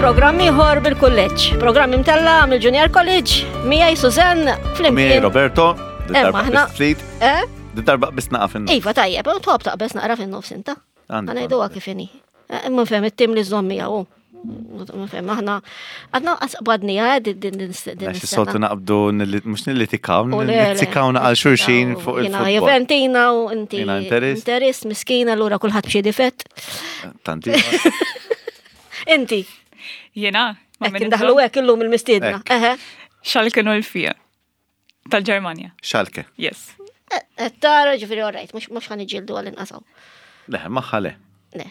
programm ieħor bil-kulleġġ. Programm imtella mill-Junior College, miegħi Susanne flimkien. Miegħi Roberto, Emma aħna. Eh? Darba biss naqa' fin Iva tajjeb, u tħobb taqbeż naqra fin-nofs inta. Ngħiduha kif inhi. Eh, imma fem it-tim li żomm miegħu. Fem aħna għadna qasqbadni eh, din din din. Soltu naqbdu mhux nillitikaw, nizzikaw għal xulxin fuq il-futbol. Juventina u inti. Interist miskina allura kulħadd b'xi difett. Tanti. Inti. Jena. Hekk indaħlu hekk illum il-mistiedna. Xalke nolfija. Tal-Ġermanja. Schalke. Yes. Eh, eh, tara ġifiri, all right, mux ħan iġildu għal-inqasaw. Le, maħħa le. Le,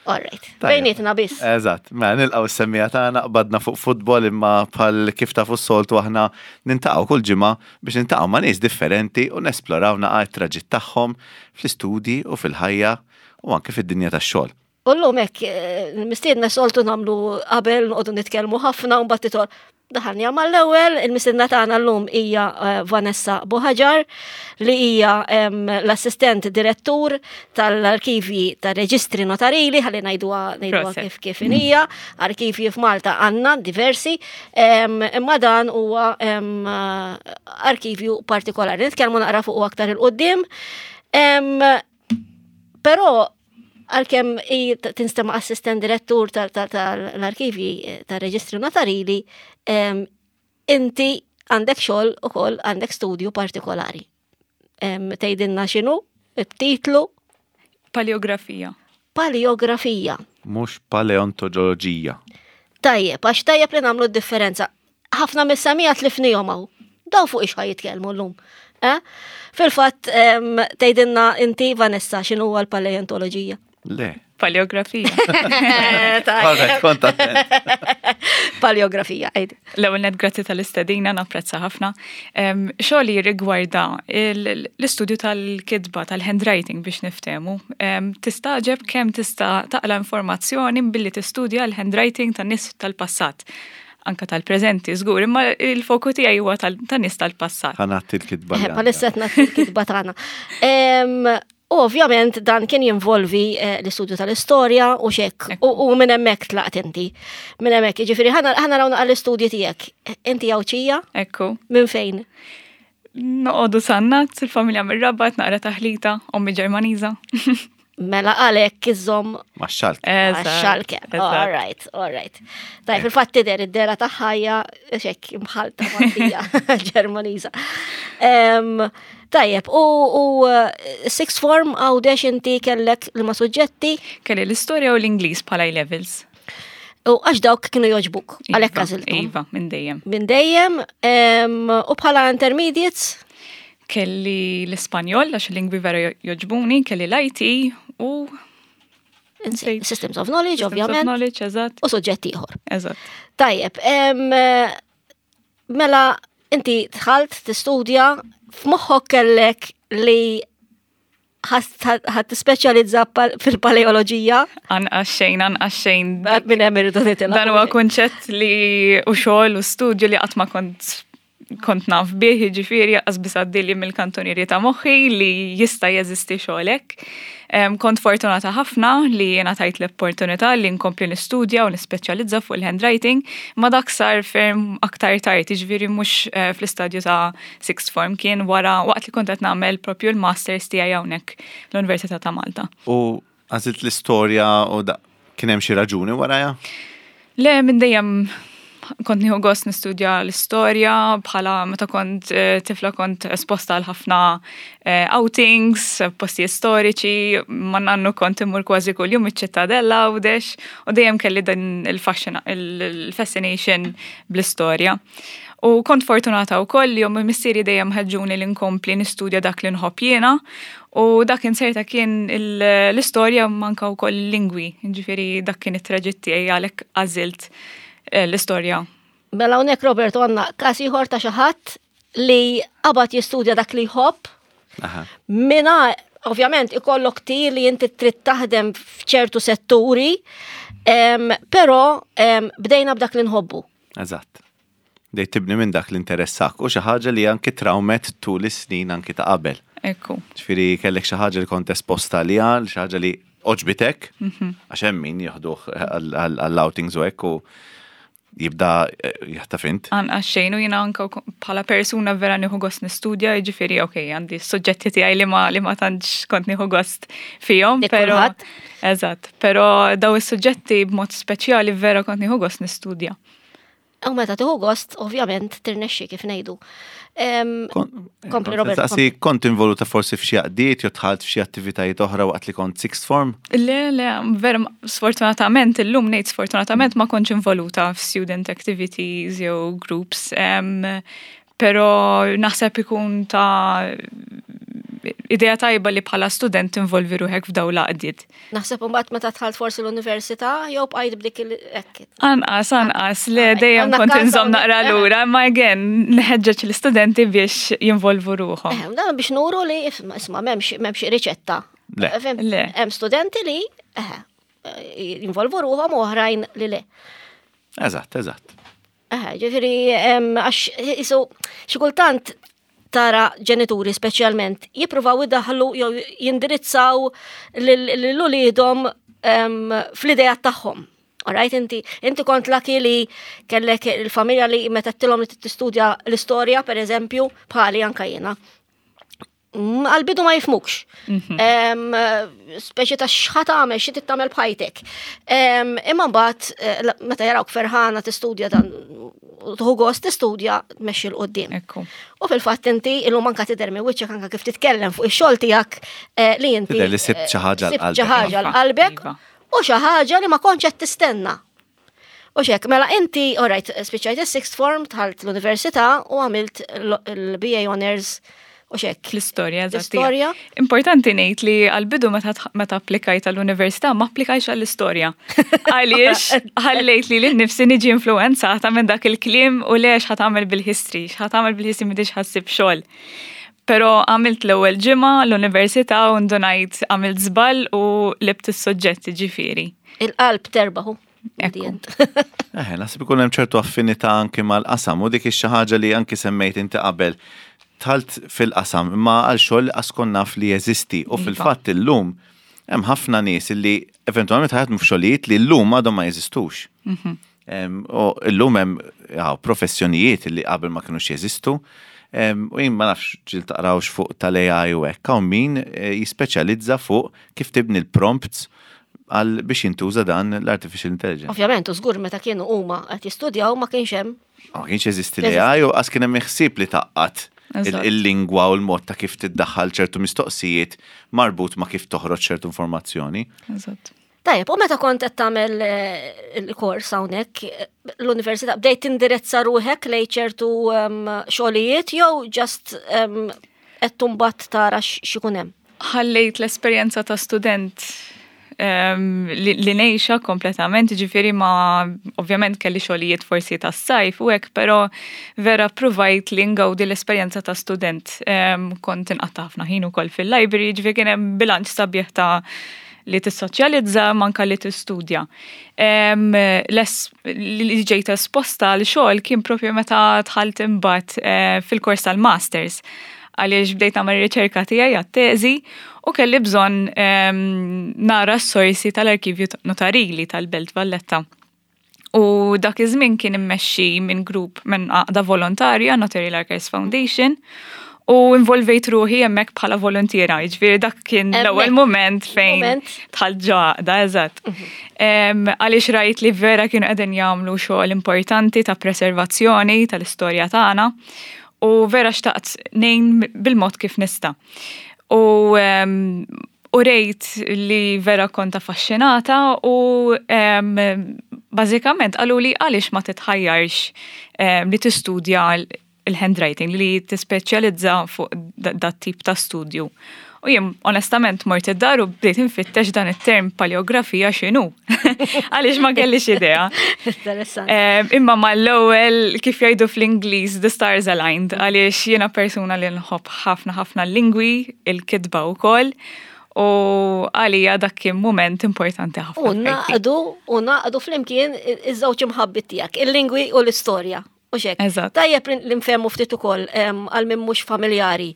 all right. Bejnietna biss. Eżatt, ma mela, nilqaw s-semmija tagħna qbadna fuq futbol imma bħal kif tafu s-soltu aħna nintaqgħu kull ġimgħa biex nintaqgħu ma' nies differenti u nesploraw naqa' t-traġitt tagħhom fl-istudji u fil-ħajja u anke fid-dinja tax-xogħol. U llum hekk eh, mistiedna soltu nagħmlu qabel noqogħdu nitkellmu ħafna u mbagħad titol. Daħalni mal-ewwel, il-mistiedna tagħna llum hija eh, Vanessa Buħaġar li hija l-assistent direttur tal-arkivji tar-reġistri notarili, ħalli ngħiduha ngħiduha kif kif hija, arkivji f'Malta għandna diversi, imma dan huwa arkivju partikolari. Nitkellmu naqra fuq aktar il-qudiem. Però għalkemm tinstema' assistent direttur tal-arkivji eh, tar-reġistri notarili, inti għandek xogħol ukoll għandek studju partikolari. Tgħidilna x'inhu, it-titlu? Paleografija. Paleografija. Mhux paleontoloġija. Tajjeb, għax tajjeb li nagħmlu d-differenza. ħafna mis-semija tlifnihom hawn. Daw fuq ix jitkellmu llum. Eh? Fil-fatt tgħidilna inti Vanessa x'inhu huwa l-paleontoloġija? Le. Paleografija. Paleografija, għid. L-ewwel net grazzi tal-istedina, napprezza ħafna. Xogħli rigwarda l-istudju tal-kitba, tal-handwriting biex niftehmu. Tistaġeb kemm tista' taqla informazzjoni billi tistudja l-handwriting tan-nies tal-passat. anka tal-preżenti żgur, imma il-foku tiegħi huwa tan-nies tal-passat. Ħanatti l-kitba. Eh, palissa qed nagħti l-kitba tagħna. U ovvjament dan kien jinvolvi eh, l-istudju tal-istorja u xek, u minn hemmhekk tlaqt inti. Minn hemmhekk, jiġifieri ħana rawna għall-istudji tiegħek. Inti Għawdxija? Ekku. Minn fejn? Noqogħdu sannat, il-familja mir-Rabat, naqra taħlita, ommi Ġermaniża. Mela għalek iżom. Ma xalke. Xalke. All right, all right. Tajb, fil-fatt tidher id-dera ta' ħajja xek imħalta Maltija Ġermaniża. Tajjeb, u eh, sixth form għawdex inti kellek li ma suġġetti? Kelli l-istorja u l-Ingliż bħala levels. U għax dawk kienu joġbuk, għalhekk iva, għażilthom. Iva, minn dejjem. Minn dejjem, u bħala intermediates? Kelli l-Ispanjol, għax il-lingwi vera joġbuni, kelli l-IT u Systems of Knowledge, Systems of ovvjament. Knowledge, eżatt. U suġġett ieħor. Eżatt. Tajjeb, mela inti dħalt tistudja f'moħħok kellek li ħad tispeċjalizza fil-paleoloġija? Anqas xejn, anqas xejn. Minn hemm irridu nitilgħu. Dan huwa kunċett li u xogħol u studju li qatt ma kont kont naf bih, jiġifieri qas biss għaddili mill-kantunieri ta' moħħi li jista' jeżisti xogħol hekk. Kont fortunata ħafna li jiena tajt l-opportunità li nkompli nistudja u nispeċjalizza fuq il-handwriting, ma dak sar ferm aktar tard, jiġifieri mhux eh, fl-istadju ta' sixth form kien wara waqt li kont qed nagħmel propju l-masters tiegħi hawnhekk l-Università ta' Malta. U għażilt l-istorja u da kien hemm xi raġuni warajha? Le, minn dejjem kont nieħu gost nistudja l-istorja bħala meta kont eh, tifla kont esposta għal ħafna eh, outings, postijiet storiċi, ma nannu kont immur kważi kuljum iċ-ċittadella Għawdex u dejjem kelli din il-fascination bl-istorja. U kont fortunata wkoll li ommi missieri dejjem ħeġġuni li nkompli nistudja dak li nħobb jiena u dak inserta kien l-istorja manka wkoll il-lingwi, ġifieri dak kien it-traġitt tiegħi għalhekk għażilt eh, l-istorja. Mela hawnhekk Roberto għandna każ ieħor ta' xi ħadd li qabad jistudja dak li jħobb. Mina ovvjament ikollok tir li inti trid taħdem f'ċertu setturi, però bdejna b'dak li nħobbu. Eżatt. Bdejt tibni minn dak li interessak u xi ħaġa li anki trawmet tul is-snin anki ta' qabel. Ekku. Ġifieri kellek xi ħaġa li kont esposta għaliha, xi ħaġa li Għoġbitek, għax hemm min jieħduh għall-outings u hekk u jibda eh, jaħtaf int. Anqas xejn u jiena anke bħala persuna vera nieħu gost nistudja, jiġifieri ok, għandi s-suġġetti tiegħi li ma li ma tantx kont nieħu gost fihom, però Eżatt, però daw is-suġġetti b'mod speċjali vera kont nieħu gost nistudja. U meta tieħu gost, ovvjament, tirnexxi kif ngħidu. Kompli Robert. Saqsi, kont involuta forsi f'xi għaqdiet jew dħalt f'xi attivitajiet oħra waqt li kont sixth form? Le, le, vera sfortunatament illum ngħid sfortunatament ma kontx involuta f'student activities jew groups. Pero naħseb ikun ta' idea tajba li bħala student tinvolvi ruħek f'daw l-għaqdiet. Naħseb imbagħad meta dħalt forsi l-università jew bqajt b'dik il hekk. Anqas, anqas, le dejjem kont inżomm naqra lura, imma again nħeġġeġ l-istudenti biex jinvolvu ruħhom. Eh, dan biex nuru li isma' m'hemmx riċetta. Le. Le. Hemm studenti li eh, jinvolvu ruħhom u oħrajn li le. Eżatt, eżatt. Eh, ġifieri għax isu xi kultant tara ġenituri speċjalment jippruvaw idaħlu jew jindirizzaw lil uliedhom fl-idea tagħhom. Alright, inti, inti kont laki li kellek il-familja li meta tilhom li tistudja l-istorja, per eżempju, bħali anka jiena. Għal-bidu ma jifmukx. Mhm. Speċi ta' xħat għamel, xi tagħmel bħajtek. Imma mbagħad eh, meta jarawk ferħana tistudja dan tħu gost tistudja tmexxi l qudiem U fil-fatt inti illum anka tidher minn wiċċek anka kif titkellem fuq ix-xogħol tiegħek eh, li inti. Tidher li sibt xi ħaġa l-qalbek. Xi ħaġa l-qalbek iva. u xi ħaġa li ma kontx qed tistenna. U xek, mela inti, all right, spiċċajt il-sixth form, tħalt l-università u għamilt l-BA Honors u xek. L-istorja, L-istorja. Importanti ngħid li għal-bidu meta applikajt għall-università ma applikajx għall-istorja. Għaliex ħallejt li l-nifsi niġi influenzata minn dak il-kliem u le x'ħa tagħmel bil-history, x'ħa tagħmel bil-history m'intix ħassib xogħol. Pero għamilt l-ewwel ġimgħa l-università u ndunajt għamilt żball u libt is-suġġett ġifieri. Il-qalb terbaħu. Eh, naħseb ikun hemm ċertu affinità anki mal-qasam u dik xi ħaġa li anki semmejt inti qabel. Talt fil-qasam imma għal xogħol li qas kont naf li jeżisti u iva. fil-fatt illum hemm ħafna nies li eventwalment ħajatmu f'xogħlijiet li llum għadhom ma jeżistux. Mhm. U llum hemm professjonijiet li qabel ma kinux jeżistu. U jien ma nafx ġil taqrawx fuq tal-AI u hekk, hawn min eh, jispeċjalizza fuq kif tibni l-prompts għal biex jintuża dan l-artificial intelligence. Ovvjament, u żgur meta kienu huma qed jistudjaw ma kienx hemm. Ma kienx jeżisti l-AI u qas kien hemm ħsieb li taqqat il-lingwa u l-mod ta' kif tiddaħħal ċertu mistoqsijiet marbut ma' kif toħroġ ċertu informazzjoni. Eżatt. Tajjeb, u meta kont qed tagħmel eh, il-kors hawnhekk eh, l-università bdejt tindirezza ruħek lejn ċertu ehm, xogħlijiet jew just ehm, qed tumbat tara x'ikun hemm? Ħallejt l-esperjenza ta' student ehm, li ngħixha kompletament, ġifieri ma ovvjament kelli xogħlijiet forsi tas-sajf u hekk, però vera provajt li ngawdi l-esperjenza ta' student. Kont inqatta' ħafna ħin ukoll fil-library, ġifieri kien hemm bilanċ sabiħ ta' li tissoċjalizza manka li tistudja. Li ġejt esposta għal xogħol kien propju meta dħalt imbagħad eh, fil-kors tal-masters għaliex bdejt nagħmel riċerka tiegħi għat-teżi u kelli bżonn nara s-sorsi tal-arkivju notarili tal-Belt Valletta. U dak iż-żmien kien immexxi minn grupp minn għaqda volontarja, Notarial Archives Foundation, u involvejt ruħi hemmhekk bħala volontiera, jiġifieri dak kien l-ewwel mument fejn dħalt ġo għaqda, eżatt. Mhm. Għaliex rajt li vera kienu qegħdin jagħmlu xogħol importanti ta' preservazzjoni tal-istorja tagħna u vera xtaqt ngħin bil-mod kif nista'. U u rejt li vera kont affaxxinata u bażikament qaluli għaliex ma titħajjarx li tistudja il-handwriting, li tispeċjalizza fuq dat tip ta' studju. U jien onestament mort id-dar u bdejt infittex dan it-term paleografija x'inhu. Għaliex ma kellix idea. Imma mal-ewwel kif jgħidu fl-Ingliż the stars aligned għaliex jiena persuna li nħobb ħafna ħafna l-lingwi, il-kitba wkoll u għalija dak kien mument importanti ħafna. U naqdu, u naqdu flimkien iż-żewġ imħabbit tiegħek, il-lingwi u l-istorja. U xek. Tajjeb li nfehmu ftit ukoll għal min mhux familjari.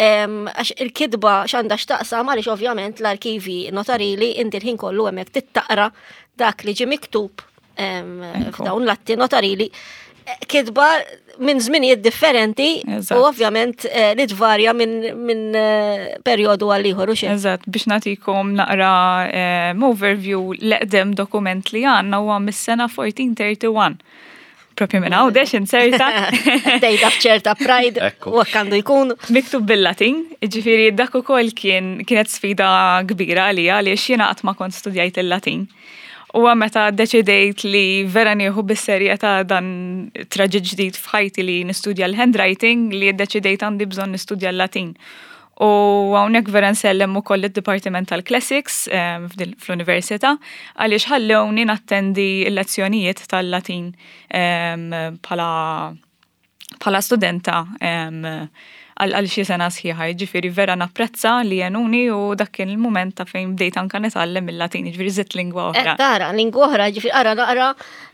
Għax il-kitba x'għandha x'taqsam għaliex ovvjament l-arkivi notarili inti l-ħin kollu hemmhekk tittaqra dak li ġie miktub f'dawn l-atti notarili eh, kitba minn żminijiet differenti u ovvjament eh, li tvarja minn eh, perjodu għal ieħor u xejn. Eżatt, biex nagħtikom naqra overview l-eqdem dokument li għandna huwa mis-sena 1431. Propju minn għawdex inserta. Tejda f'ċerta pride u hekk għandu jkun. Miktub bil-Latin, ġifieri dak ukoll kien kienet sfida kbira għalija għaliex jiena qatt ma kont studjajt il-Latin. U meta deċidejt li vera nieħu bis-serjetà dan traġit ġdid f'ħajti li nistudja l-handwriting li deċidejt għandi bżonn nistudja l-Latin. U hawnhekk vera nsellem ukoll id-Dipartiment tal-Classics ehm, fl-Università għaliex ħallewni nattendi l-lezzjonijiet tal-Latin ehm, bħala bħala studenta ehm, għal xi sena sħiħa, jiġifieri vera napprezza li jenuni u dak kien il-mument ta' fejn bdejt anka nitgħallem il-Latin, jiġifieri żidt lingwa oħra. Eh, tara, lingwa oħra, jiġifieri ara naqra,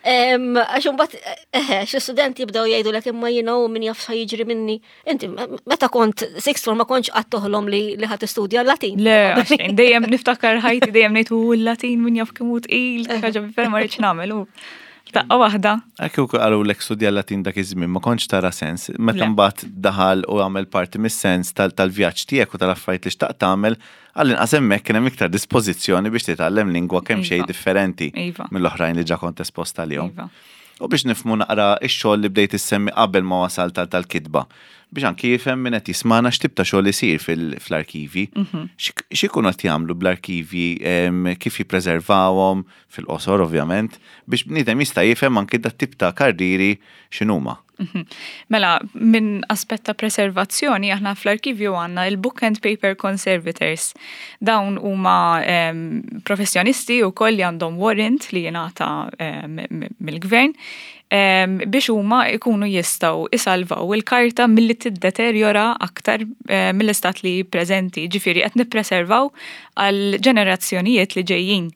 għax imbagħad eh, xi studenti jibdew jgħidulek imma jiena u min jaf jiġri minni. Inti, meta kont sixth form ma kontx qatt toħlom li li ħadd tistudja l-Latin. Le, għaxejn, dejjem niftakar ħajti dejjem ngħid u l-Latin min jaf kemm hu tqil, ħaġa vera ma rridx nagħmel u daqqa waħda. Hekk ukoll qalulek studja l-Latin dak iż-żmien ma kontx tara sens. Meta mbagħad daħal u għamel parti mis-sens tal-vjaġġ tiegħek u tal-affarijiet li xtaqt tagħmel, għall-inqas hemmhekk kien hemm iktar dispożizzjoni biex titgħallem lingwa kemm xejn differenti mill-oħrajn li ġa kont espost għalihom. U biex nifhmu naqra x-xogħol li bdejt issemmi qabel ma wasalt għal tal-kitba, biex anki jifhem min qed jismagħna x'tip ta' xogħol isir fl-arkivji. X'ikunu qed jagħmlu bl-arkivji, kif jippreservawhom, fil-qosor ovvjament, biex bniedem jista' jifhem anki dat-tip ta' karrieri x'inhuma. Mela, minn aspett ta' preservazzjoni, aħna fl-arkivju għandna il-Book and Paper Conservators. Dawn huma professjonisti wkoll li għandhom warrant li jingħata mill-gvern biex huma jkunu jistgħu isalvaw il-karta milli tiddeterjora aktar mill-istat li preżenti. Ġifieri qed nippreservaw għal ġenerazzjonijiet li ġejjin.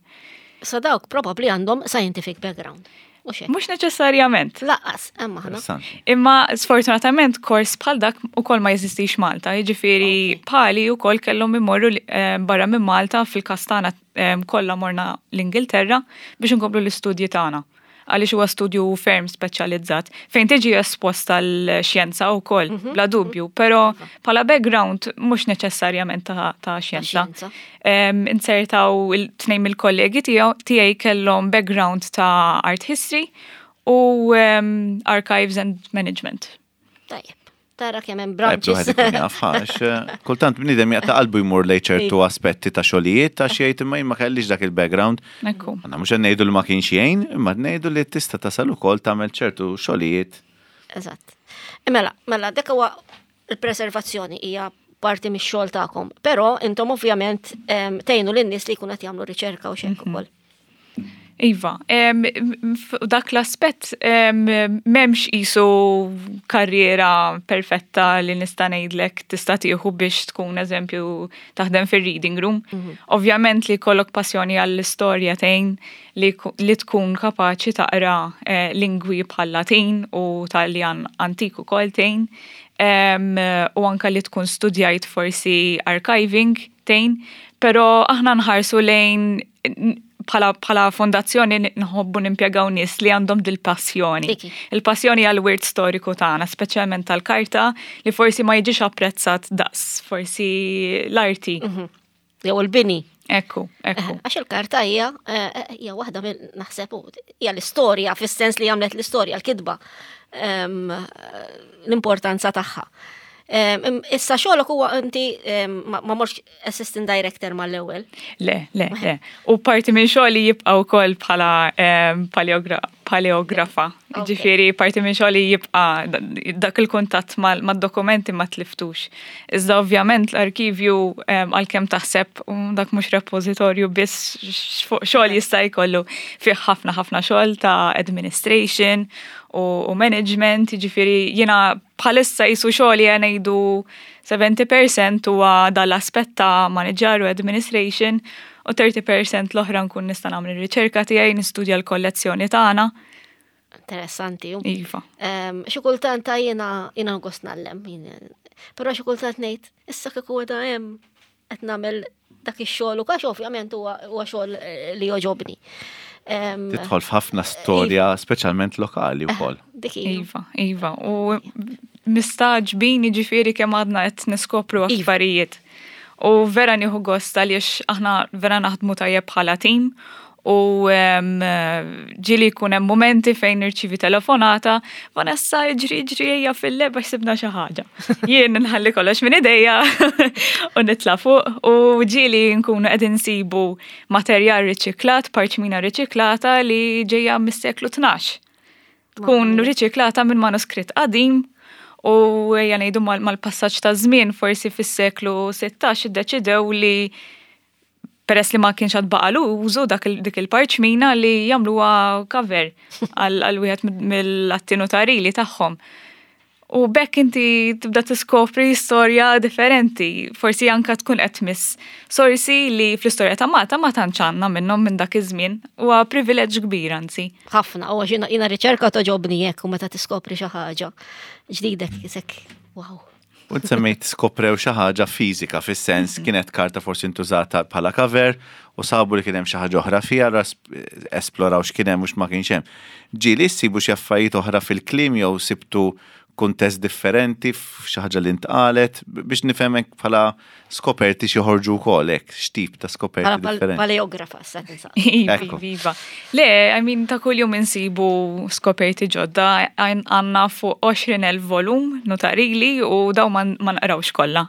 Sa dawk probabbli għandhom scientific background. Mhux neċessarjament. Laqqas, hemm aħna. Imma sfortunatament kors bħal dak ukoll ma jeżistix Malta, jiġifieri bħali wkoll kellhom imorru eh, barra minn Malta fil-każ tagħna eh, kollha morna l-Ingilterra biex inkomplu l-istudji tagħna għaliex huwa studju ferm speċjalizzat fejn tiġi esposta l-xjenza wkoll mhm. bla dubju, però iva. bħala background mhux neċessarjament ta' xjenza. Insertaw il-tnejn mill-kollegi tiegħi kellhom background ta' art history u archives and management. Tajjeb. Tara kemm hemm branches. Wieħed ikun jaf għax eh, kultant bniedem jaqta' qalbu jmur lejn ċertu aspetti ta' xogħlijiet għax jgħid imma jien ma kellix dak il-background. Ekku. Aħna mhux qed ngħidu li ma kienx jgħin, imma ngħidu li tista' tasal ukoll tagħmel ċertu xogħlijiet. Eżatt. Mela, mela dak huwa il-preservazzjoni hija parti mix-xogħol tagħkom, però intom ovvjament tgħinu lin-nies li jkunu qed jagħmlu riċerka u xejn mhm. ukoll. Iva, dak l-aspett m'hemmx isu karriera perfetta li nista' ngħidlek tista' tieħu biex tkun eżempju taħdem fir-reading room. Mhm. Ovvjament li jkollok passjoni għall-istorja tgħin li tkun kapaċi taqra eh, lingwi bħal Latin u Taljan antik ukoll tgħin u anka li tkun studjajt forsi archiving tgħin, però aħna nħarsu lejn bħala bħala fondazzjoni nħobbu nimpjegaw nies li għandhom dil-passjoni. Il-passjoni għal wirt storiku tagħna, speċjalment tal-karta li forsi ma jiġix apprezzat daqs forsi l-arti. Mhm. Jew il-bini. Ekku, ekku. Għax il-karta hija eh, eh, hija waħda minn naħseb hija l-istorja fis-sens li għamlet l-istorja l-kitba ehm, l-importanza tagħha. Ehm, issa xogħolok huwa inti ehm, ma morx assistant director mal-ewwel. Le, le, le. U parti minn xogħli jibqa' wkoll bħala paleografa. Ġifieri parti minn xogħli jibqa' dak il-kuntatt mad-dokumenti ma tliftux. Iżda ovvjament l-arkivju għalkemm taħseb dak mhux repożitorju biss xogħol jista' jkollu fih ħafna ħafna xogħol ta' administration u management, jiġifieri jiena bħalissa jisu xogħli ngħidu 70% huwa dal-aspett ta' manager u administration u 30% l-oħra nkun nista' nagħmel ir-riċerka tiegħi, nistudja l-kollezzjoni tagħna. Interessanti. Iva. Xi kultant ta' jiena jiena gost nallem, però xi kultant ngħid, issa kieku għadha hemm qed nagħmel dak ix-xogħol u għax ovvjament huwa xogħol eh, li joġobni. Tidħol f'ħafna storja, speċjalment lokali eh, wkoll. Iva, iva. U mistaġbin jiġifieri kemm għadna qed niskopru iva. affarijiet. U vera nieħu gost għaliex aħna vera naħdmu tajjeb bħala tim u ġili jkun hemm momenti fejn nirċivi telefonata, Vanessa ġri ġri ejja fil-leb għax sibna xi ħaġa. Jien nħalli kollox minn idejja u nitla' fuq u ġili nkunu qegħdin nsibu materjal riċiklat, parċmina riċiklata li ġejja mis-seklu 12. Tkun riċiklata minn manuskritt qadim u ejja ngħidu mal-passaġġ ta' żmien forsi fis-seklu 16 iddeċidew li peress li ma kienx għad baqalu użu dak dik il-parċmina li jagħmluha cover għal wieħed mill-atti notarili tagħhom. U bekk inti tibda tiskopri storja differenti, forsi anka tkun qed tmiss sorsi li fl-istorja ta' Malta ma tantx għandna minnhom minn dak iż-żmien. Huwa privileġġ kbir anzi. Ħafna, u għax jiena riċerka toġobni hekk u meta tiskopri xi ħaġa ġdida kisek, wow. U semmejt skoprew xi ħaġa fiżika fis-sens mhm. kienet karta forsi ntużata bħala cover u sabu li kien hemm xi ħaġa oħra fiha esploraw x'kien hemm u x'ma kienx hemm. Ġieli ssibu xi affarijiet oħra fil-kliem jew sibtu kuntest differenti f'xi ħaġa li ntqalet biex nifhem bħala skoperti xi joħorġu wkoll hekk, x'tip ta' skoperti differenti. Paleografa sa tinsaq. Iva, iva. Le, I mean, ta' kuljum insibu skoperti ġodda, għandna fuq 20,000 volum notarili u daw ma naqrawx kollha.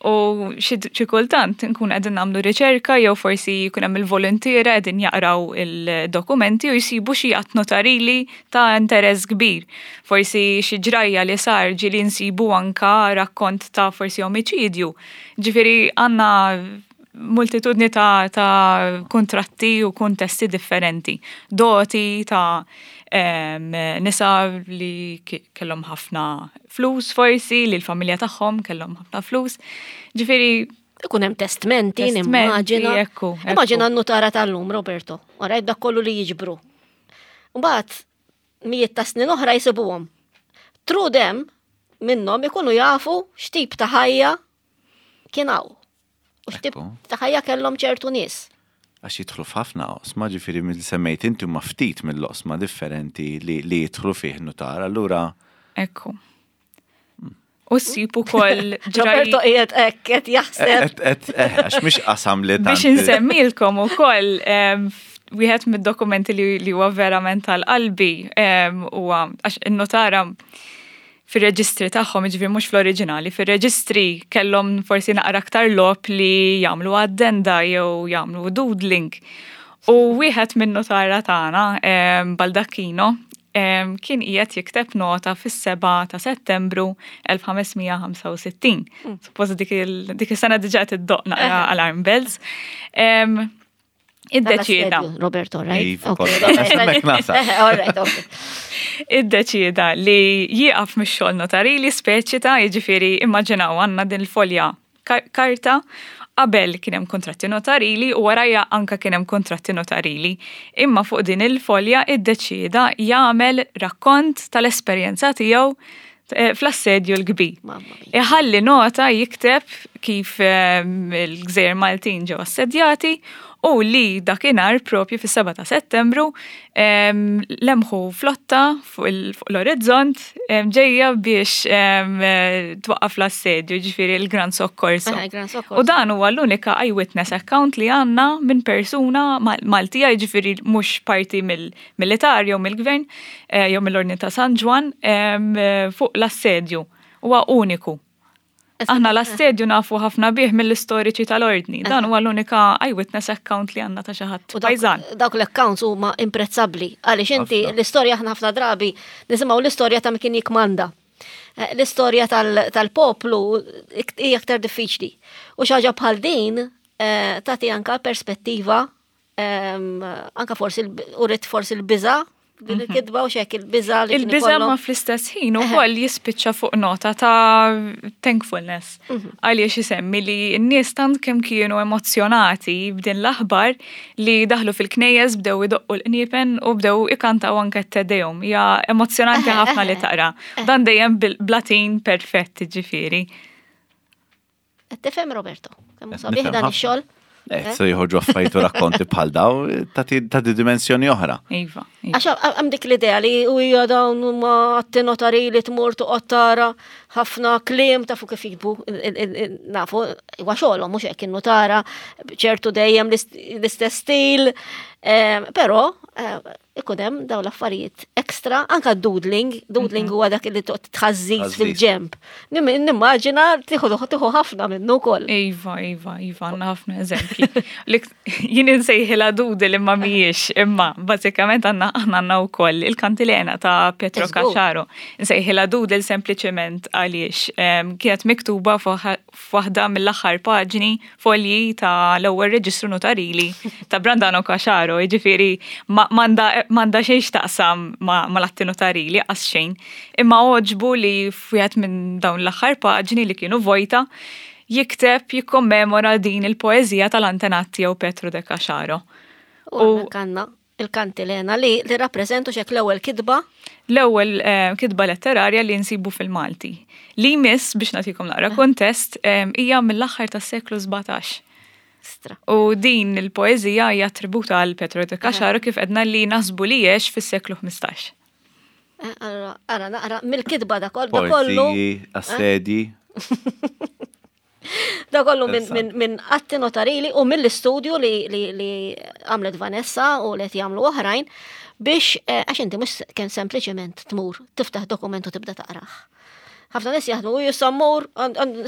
U xi kultant nkun qegħdin nagħmlu riċerka jew forsi jkun hemm il-voluntiera qegħdin jaqraw il-dokumenti u jsibu xi att notarili ta' interess kbir. Forsi xi ġrajja li sar ġieli nsibu anka rakkont ta' forsi omiċidju. Ġifieri għandna multitudni ta', ta kuntratti u kuntesti differenti. Doti ta' nisa li kellhom ħafna flus forsi, li l-familja tagħhom kellhom ħafna flus. Ġifieri Ikun hemm testmenti, nimmaġina. Immaġina n-nutara tal-lum, Roberto. Ora dak kollu li jiġbru. Mbagħad mijiet ta' snin oħra jisibuhom. True them minnhom ikunu jafu x'tip ta' ħajja kien hawn. U x'tip ta' ħajja kellhom ċertu nies. Għax jidħlu f'ħafna oqsma, ġifieri mill semmejt inti huma ftit mill-oqsma differenti li, li jidħlu fih nutar, allura. Ekku. U ssib ukoll Roberto qiegħed hekk qed jaħseb. Eh, għax mhix qasam li Biex insemmilkom ukoll wieħed mid-dokumenti li huwa verament tal-qalbi huwa għax in-notara fir-reġistri tagħhom, jiġifieri mhux fl-oriġinali, fir-reġistri kellhom forsi naqra aktar logħob li jagħmlu addenda jew jagħmlu doodling. U wieħed min-notara tagħna, Baldacchino, kien qiegħed jikteb nota fis-7 ta' Settembru 1565. Hmm. Suppost dik is-sena diġà qed iddoq naqra alarm bells. Iddeċieda. Roberto, right? Iddeċieda li jieqaf mix-xogħol notarili speċi ta' jiġifieri immaġinaw għandna din il-folja karta qabel kien hemm kuntratti notarili u warajha anke kien hemm kuntratti notarili. Imma fuq din il-folja iddeċieda jagħmel rakkont tal-esperjenza tiegħu eh, fl-assedju l-kbir. Iħalli nota jikteb kif eh, il-Gżejjer Maltin ġew assedjati u li dakinhar propju fis-7 ta' Settembru lemħu flotta fuq l-orizzont ġejja biex twaqqaf l-assedju, ġifieri l-Gran Soccorso. U dan huwa l-unika eyewitness account li għandna minn persuna Maltija, ġifieri mhux parti mill-militar jew mill-gvern eh, jew mill-Ordni ta' San Ġwann fuq l-assedju. Huwa uniku. Aħna l-assedju nafu ħafna bih mill-istoriċi tal-ordni. Dan huwa l-unika eyewitness account li għandna ta' xi ħadd pajżan. Dawk l-accounts huma imprezzabbli għaliex inti l-istorja aħna ħafna drabi nisimgħu l-istorja ta' kien jikmanda. Eh, l-istorja tal-poplu hija aktar diffiċli. U xi ħaġa bħal din eh, tagħti anka perspettiva anka forsi urid forsi l-biża. Din il-kitba u xek il-biża li Il-biża ma fl-istess ħin ukoll jispiċċa fuq nota ta' thankfulness. Għaliex isemmi li n-nies tant kemm kienu emozzjonati b'din l-aħbar li daħlu fil-knejjes bdew idoqqu l-qniepen u bdew ikantaw anke t-Te Deum. Hija emozzjonanti ħafna li taqra. Dan dejjem bil-Latin perfett ġifieri. Qed tifhem Roberto? Kemm sabiħ dan ix-xogħol? Eh, se jħorġu affarijiet u rakkonti bħal daw ta' di dimensjoni oħra. Iva. iva. Għax hemm dik l-idea li u hija dawn huma atti notari li tmur toqgħod tara ħafna kliem tafu kif jikbu nafu huwa xogħolhom mhux hekk in-notara ċertu dejjem l-istess stil, eh, però eh, ikun hemm dawn l-affarijiet ekstra, anka doodling, doodling mhm. huwa dak li toqgħod tħażżiż fil-ġemp. Nimmaġina tieħu tieħu ħafna minnu wkoll. Iva, iva, iva, għandna ħafna eżempji. Jien insejħilha doodle imma mhijiex, imma bażikament għandna aħna għandna wkoll il-kantilena ta' Pietro Caxaro. Insejħilha doodle sempliċement għaliex ehm, kienet miktuba f'waħda mill-aħħar paġni folji ta' l-ewwel reġistru notarili ta' Brandano Caxaro, jiġifieri m'għandha xejn x'taqsam mal-atti notarili qas xejn. Imma għoġbu li f'wieħed minn dawn l-aħħar paġni li kienu vojta jikteb jikkommemora din il-poeżija tal-antenat tiegħu Petru de Caxaro. U għandna il-kantilena li li rappreżentu xek l-ewwel kitba. L-ewwel eh, kitba letterarja li nsibu fil-Malti. Li jmiss biex nagħtikom naqra eh. kontest eh, hija mill-aħħar tas-seklu 17. Stra. U din il-poeżija hija attributa għal Petro de Caxaro kif edna li nasbu li jiex fis-seklu 15. Allora, ara naqra mill-kitba da kollu. Assedji. Da kollu minn min, atti notarili u mill-istudju li, li, li għamlet Vanessa u li qed jagħmlu oħrajn biex eh, għax inti mhux kemm sempliċement tmur tiftaħ dokument u tibda taqrah. Ħafna nies jaħdmu u jisammur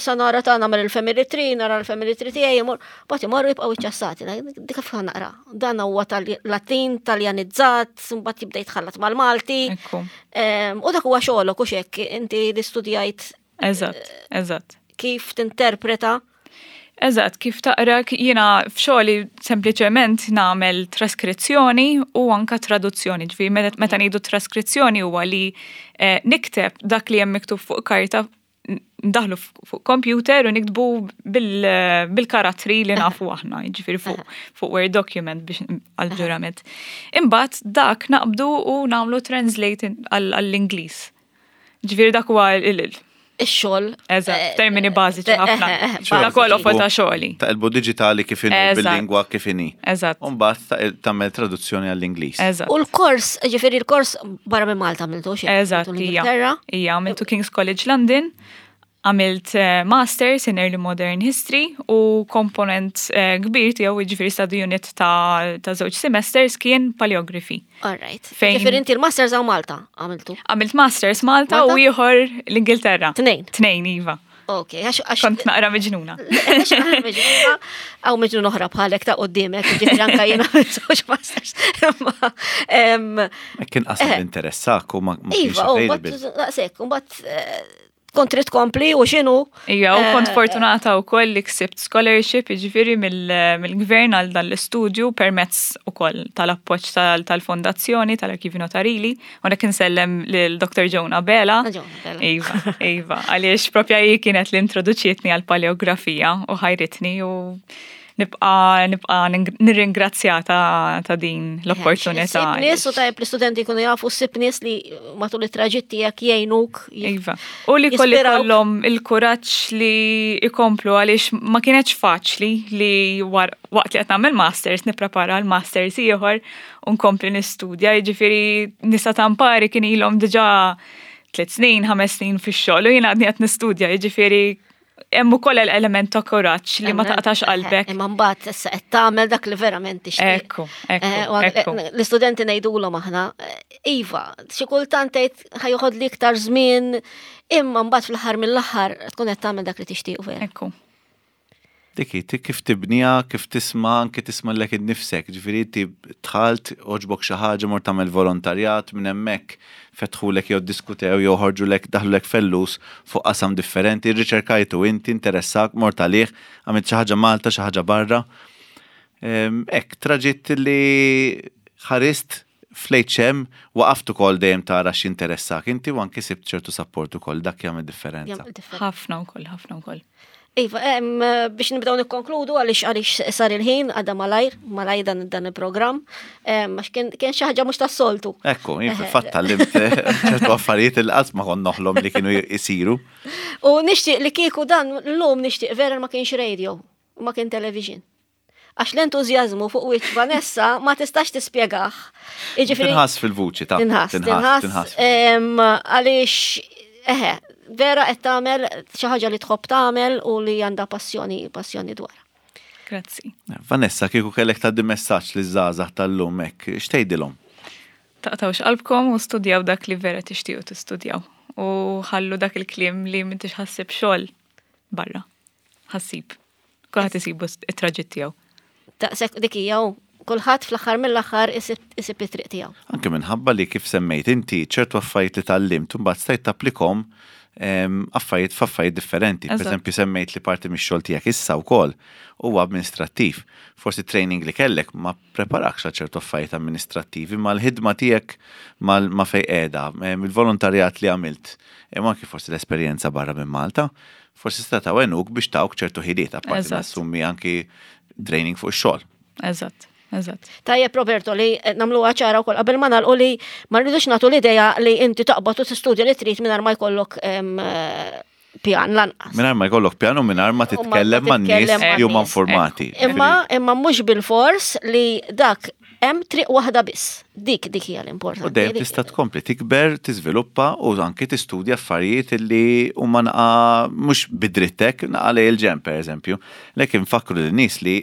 sa nara ta' nagħmel il-family tree, nara l-family tree tiegħi jmur, bagħad imorru jibqgħu iċċassati. Dik kif naqra. Dan huwa tal-Latin, Taljanizzat, mbagħad jibda jitħallat mal-Malti. U dak huwa xogħolok u xek inti li studjajt Eżatt, eżatt. Kif tinterpreta? Eżatt, kif taqra, jiena f'xogħli sempliċement nagħmel traskrizzjoni u anka traduzzjoni. Ġifieri meta ngħidu traskrizzjoni huwa li eh, nikteb dak li hemm miktub fuq karta ndaħlu fuq computer u niktbu bil-karattri li nafu aħna, ġifieri fuq fuq Word document biex għal-ġurament. Imbagħad dak naqbdu u nagħmlu translate għall-Ingliż. Ġifieri dak huwa il- Ix-xogħol. Eżatt, eh, termini bażiċi eh, ħafna. Eh, dak huwa l-offer ta' xogħli. Taqilbu diġitali kif inhu bil-lingwa kif inhi. Eżatt. U mbagħad tagħmel traduzzjoni għall-Ingliż. Eżatt. U l-kors, ġifieri l-kors barra minn Malta għamiltu xi. Eżatt, hija. Hija għamiltu King's College London Għamilt eh, Masters in Early Modern History u komponent eh, kbir tiegħu jiġifieri study unit ta' ta' żewġ semesters kien paleography. All right. Fejn Ġifieri inti l-Masters hawn Malta għamiltu? Għamilt Masters Malta u ieħor l-Ingilterra. Tnejn. Tnejn, iva. Ok, għax għax. Kont naqra miġnuna. Miġnuna, għaw miġnuna oħra bħalek ta' qoddimek, ġifieri anka jiena żewġ masters. Kien qasam eh. interessak u ma kienx Iva, u bat, daqshekk, u bat kont trid tkompli u x'inhu. Ija, u kont eh, fortunata wkoll li ksibt scholarship jiġifieri mill-gvern għal dan l-istudju permezz ukoll tal-appoġġ tal-fondazzjoni tal-Arkivi Notarili. U nek insellem lil Dr. Joan Abela. Ah, iva, iva, għaliex propja hi kienet li introduċietni għal paleografija u ħajritni u nibqa nibqa nirringrazzjata ta' din l-opportunità. Sib nies u tajb l-istudenti jkunu jafu sib nies li matul it-traġitt tiegħek jgħinuk. Iva. U li kolli kollhom il-kuraġġ li ikomplu għaliex ma kienx faċli li waqt li qed nagħmel masters nipprepara l-masters ieħor u nkompli nistudja, jiġifieri nisa tampari kien ilhom diġà tliet snin, ħames snin fix-xogħol u jien għadni qed nistudja, jiġifieri hemm ukoll element ta' kuraġġ li ma taqtax qalbek. Imma mbagħad issa qed tagħmel dak li verament tixtieq. Ekku, ekku. Eh, eh, l-istudenti ngħidulhom aħna, eh, iva, xi kultant tgħid ħajoħod li iktar żmien, imma mbagħad fl-aħħar mill-aħħar tkun qed tagħmel dak li tixtieq vera. Ekku. Dik hi, kif tibniha, kif tisma' anke tisma' lilek innifsek, ġifieri inti dħalt, għoġbok xi ħaġa, mort tagħmel volontarjat, minn hemmhekk fetħulek jew ddiskutew jew ħorġulek daħlulek fellus fuq qasam differenti, rriċerkajtu inti, interessak, mort għalih, għamilt xi ħaġa Malta, xi ħaġa barra. Hekk, traġitt li ħarist. Fl-HM waqaft ukoll dejjem tara x'interessak inti u anki sibt ċertu support ukoll dak jagħmel differenza. Ħafna wkoll, ħafna wkoll. Iva, biex nibdew nikkonkludu għaliex għaliex sar il-ħin għadha malajr, malajr dan, dan il-programm, għax kien xi ħaġa mhux tas-soltu. Ekku, jien fil-fatt tgħallimt ċertu affarijiet il qatt ma kont noħlom li kienu jisiru. U nixtieq li kieku dan l-lum nixtieq vera ma kienx radio, ma kien television. Għax l-entużjażmu fuq wiċċ Vanessa ma tistax tispjegah. Jiġifieri Tinħass fil-vuċi ta' tinħass, tinħass. Għaliex eħe, vera qed tagħmel xi ħaġa li tħobb tagħmel u li għandha passjoni, passjoni dwarha. Grazzi. Vanessa, kieku kellek tgħaddi messaġġ liż-żgħażagħ tal-lum hekk, x'tgħidilhom? Taqtgħux qalbkom u studjaw dak li vera tixtiequ tistudjaw. U ħallu dak il-kliem li m'intix ħassib xogħol barra. Ħassib. Kulħadd isibu it-traġitt tiegħu. Daqshekk dik hija u kulħadd fl-aħħar mill-aħħar isib it-triq tiegħu. Anke minħabba li kif semmejt inti ċertu affarijiet li tgħallimt imbagħad stajt tapplikhom ehm, affarijiet f'affarijiet differenti. Per eżempju semmejt li parti mix-xogħol tiegħek issa wkoll huwa amministrattiv. Forsi training li kellek ma preparakx għal ċertu affarijiet amministrattivi, ma l-ħidma tiegħek ma fejn qiegħda, ehm, il-volontarjat li għamilt, imma anki forsi l-esperjenza barra minn Malta, Forsi setgħu għenuk biex tawk ċertu ħiliet, apparti nassumi anki training fuq ix-xogħol. Eżatt. Eżatt. Tajjeb Roberto li eh, nagħmluha ċara wkoll qabel ma nagħlqu li ma rridux nagħtu l-idea li inti taqbad u tistudja li trid mingħajr ma jkollok eh, pjan lanqas. Mingħajr ma jkollok pjan u mingħajr ma titkellem man nies li huma informati. Imma imma mhux bil-fors li dak Hemm triq waħda biss. Dik dik hija l-importanti. U dejjem tista' tkompli tikber, tiżviluppa u anki tistudja affarijiet li huma naqa mhux bidrittek, naqa lej il-ġenb pereżempju. Lek infakkru lin-nies li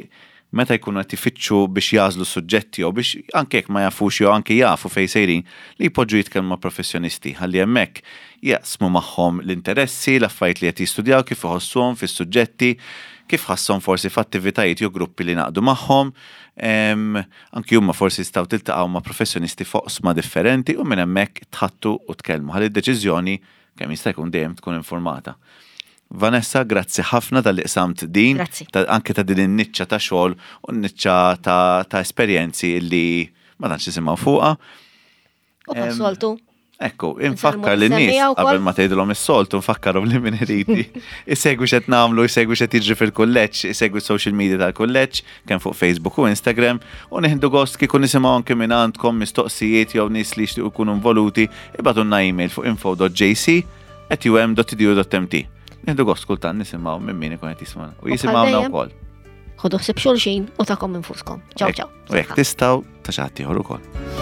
meta jkunu qed ifittxu biex jagħżlu suġġetti jew biex anke jekk ma jafux jew anke jafu fejn sejrin, li jpoġġu jitkellmu ma' professjonisti ħalli hemmhekk jaqsmu magħhom l-interessi, l-affarijiet li qed jistudjaw, kif iħossuhom fis-suġġetti, kif ħasshom forsi f'attivitajiet jew gruppi li ngħaqdu magħhom. Anki huma forsi jistgħu tiltaqgħu ma' professjonisti f'oqsma differenti u minn hemmhekk tħattu u tkellmu ħalli d-deċiżjoni kemm jista' jkun dejjem tkun informata. Vanessa, grazzi ħafna talli qsamt din, anke ta' din in-niċċa ta' xogħol u n-niċċa ta' esperjenzi li ma tantx nisimgħu fuqha. U bħas-soltu. Ekku, infakkar li nies qabel ma tgħidilhom is-soltu nfakkarhom li min irid isegwi x'qed nagħmlu, isegwi x'qed jiġri fil-kulleġġ, isegwi social media tal-kulleġġ, kemm fuq Facebook u Instagram, u nieħdu gost kieku nisimgħu anke minn għandkom mistoqsijiet jew nies li jixtiequ jkunu involuti, ibgħatulna email fuq info.jc at um.edu.mt. Nieħdu gost kultant nisimgħu minn min ikun qed jismagħna u jisimgħuna wkoll. Ħodu ħsieb xulxin u takom infuskom. Ciao ciao. U jekk tistgħu ta' xi ħadd ieħor ukoll.